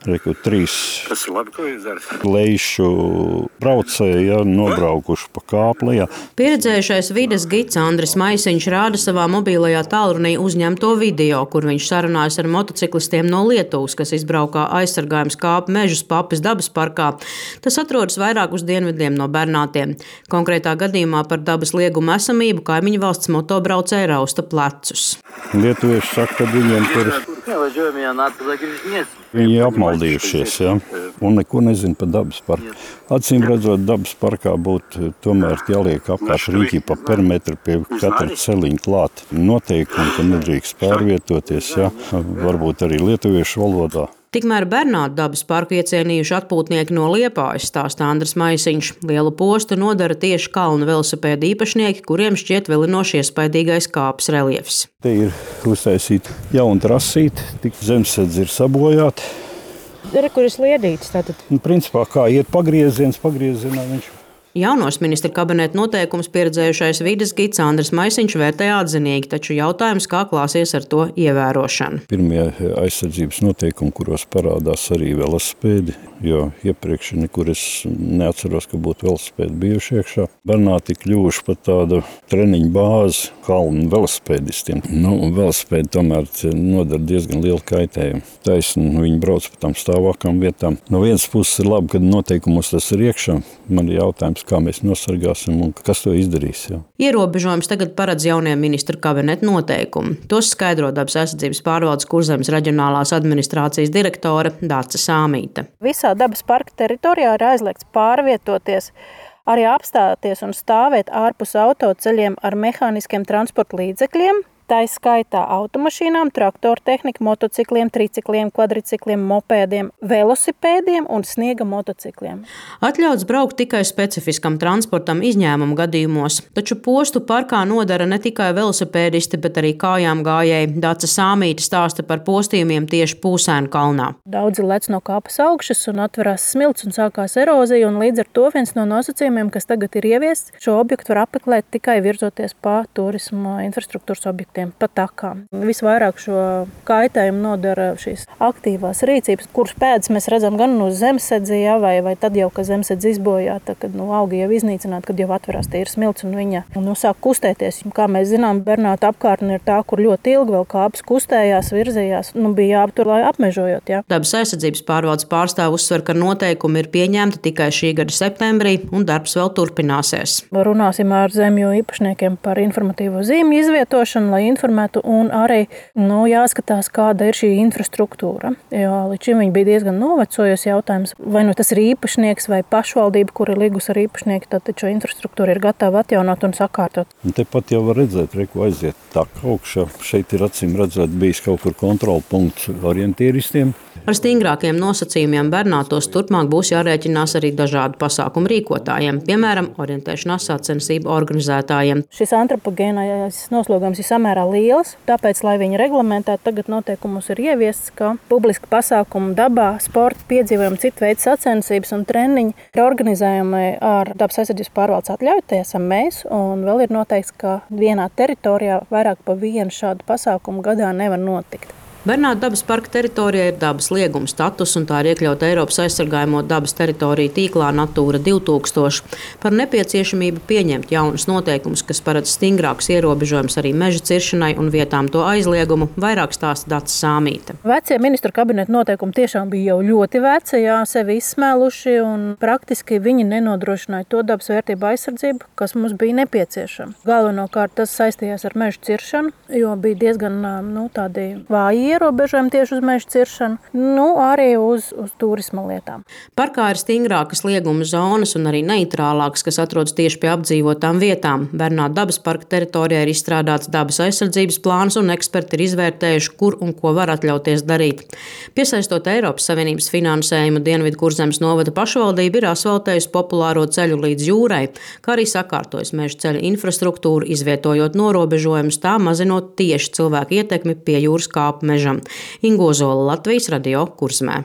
Reku 3 Tas ir labi, ko jūs darat. Leišu braucēji nobraukuši pa kāplī. Pieredzējušais vides gids Andris Maisiņš rāda savā mobilajā tālrunī uzņemto video, kur viņš sarunājas ar motociklistiem no Lietuvas, kas izbraukā aizsargājums kāpu mežus Papes dabas parkā. Tas atrodas vairāk uz dienvidiem no Bernātiem. Konkrētā gadījumā par dabas liegumu esamību kaimiņu valsts motobraucēji rausta plecus. Lietuvieši saka, ka viņiem tur viņi apmaldījušies, un neko nezin par dabas parku. Acīm redzot, dabas parkā būtu tomēr jāliek apkārt riņķi pa perimetru pie katra celiņa klāt. Noteikumi, ka nedrīkst pārvietoties, varbūt arī lietuviešu valodā. Tikmēr Bernātu dabas parku iecienījuši atpūtnieki no Liepājas, stāsta Andris Maisiņš. Lielu postu nodara tieši kalnu velosipēdu īpašnieki, kuriem šķiet vilinoši iespaidīgais kāpes reljefs. Te ir uztaisīta jauna trasīte, tik zemesēdzi ir sabojāti. Kur ir sliedītis tātad? Principā kā iet pagriezienā viņš. Jaunos ministra kabineta noteikumus pieredzējušais vides gids Andris Maisiņš vērtē atzinīgi, taču jautājums, kā klāsies ar to ievērošanu. Pirmie aizsardzības noteikumi, kuros parādās arī velosipēdi, jo iepriekš nekur es neatceros, ka būtu velosipēdi bijuši iekšā. Bernāti kļuvuši par tādu treniņu bāzi kalnu velosipēdistiem. Velosipēdi tomēr nodara diezgan lielu kaitējumu. Taisni viņi brauc pa tām stāvākām vietām. No vienas puses ir labi, ka noteikumos tas ir iekšā. Man ir jautājums, kā mēs nosargāsim un kas to izdarīs. Ierobežojums tagad paredz jaunie ministru kabineta noteikumi. Tos skaidro Dabas aizsardzības pārvaldes Kurzemes reģionālās administrācijas direktore Dāca Sāmīte. Visā dabas parka teritorijā ir aizliegts pārvietoties, arī apstāties un stāvēt ārpus autoceļiem ar mehāniskiem transporta līdzekļiem. Tā ir skaitā automašīnām, traktortehnika, motocikliem, tricikliem, kvadricikliem, mopēdiem, velosipēdiem un sniega motocikliem. Atļauts braukt tikai specifiskam transportam izņēmumu gadījumos, taču postu parkā nodara ne tikai velosipēdisti, bet arī kājām gājēji. Dāca Sāmīte stāsta par postījumiem tieši Pūsēnu kalnā. Daudzi lec no kāpas augšas un atverās smilts un sākās erozija, un līdz ar to viens no nosacījumiem, kas tagad ir ieviests, šo objektu var apmeklēt tikai virzoties pa turisma infrastruktūras objektiem. Pa takām. Visvairāk šo kaitējumu nodara šīs aktīvās rīcības, kuras pēdas mēs redzam gan uz zemesēdzi, vai tad jau, ka zemesēdzi izbojāta, kad augi jau iznīcināti, kad jau atverās tīra smilts un viņa sāk kustēties. Kā mēs zinām, Bernātu apkārtne ir tā, kur ļoti ilgi vēl kāpes kustējās, virzījās, bija jāaptur, lai apmežojot. Dabas aizsardzības pārvaldes pārstāve uzsver, ka noteikumi ir pieņemti tikai šī gada septembrī un darbs vēl turpināsies. Runāsim ar zemju īpašniekiem par informatīvo zīmju izvietošanu, lai informētu, un arī jāskatās, kāda ir šī infrastruktūra. Jo līdz šim viņa bija diezgan novecojusi jautājums, vai tas ir īpašnieks vai pašvaldība, kur ir līgus ar īpašnieku, tad šo infrastruktūru ir gatava atjaunot un sakārtot. Tepat jau var redzēt, reku aiziet tā augšā. Šeit ir acīm redzēt bijis kaut kur kontrola punkts orientieristiem. Ar stingrākiem nosacījumiem Bernātos turpmāk būs jārēķinās arī dažādu pasākumu rīkotājiem, piemēram, orientēšanās sacensību organizētājiem. Šis antropogēnais noslogojums ir samērā liels, tāpēc, lai viņi reglamentētu, tagad noteikumus ir ieviests, ka publiski pasākumu dabā, sporta, piedzīvojumi, citu veidu sacensības un treniņi ir organizējumi ar Dabas aizsardzības pārvaldes atļauju, tie esam mēs, un vēl ir noteikts, ka vienā teritorijā vairāk pa vienu šādu pasākumu gadā nevar notikt. Bernātu dabas parka teritorijā ir dabas lieguma status, un tā ir iekļauta Eiropas aizsargājamo dabas teritoriju tīklā Natūra 2000. Par nepieciešamību pieņemt jaunus noteikumus, kas paredz stingrākus ierobežojumus arī meža ciršanai un vietām to aizliegumu, vairāk stāsta Dāca Sāmīte. Vecie ministru kabineta noteikumi tiešām bija jau ļoti veci, sevi izsmēluši, un praktiski viņi nenodrošināja to dabas vērtību aizsardzību, kas mums bija nepieciešama. Galvenokārt tas saistījās ar meža ciršanu, jo bija diezgan tādi vāji ierobežojumi tieši uz meža ciršanu, arī uz turisma lietām. Parkā ir stingrākas lieguma zonas un arī neitrālākas, kas atrodas tieši pie apdzīvotām vietām. Bernātu dabas parka teritorijā ir izstrādāts dabas aizsardzības plāns, un eksperti ir izvērtējuši, kur un ko var atļauties darīt. Piesaistot Eiropas Savienības finansējumu, Dienvidu Kurzemes novada pašvaldība ir asfaltējusi populāro ceļu līdz jūrai, kā arī sakārtojas meža ceļa infrastruktūru, izvietojot norobežojumus, tā mazinot tieši cilvēku ietekmi pie jūras kāpu mežam. Ingo Zola, Latvijas radio Kurzemē.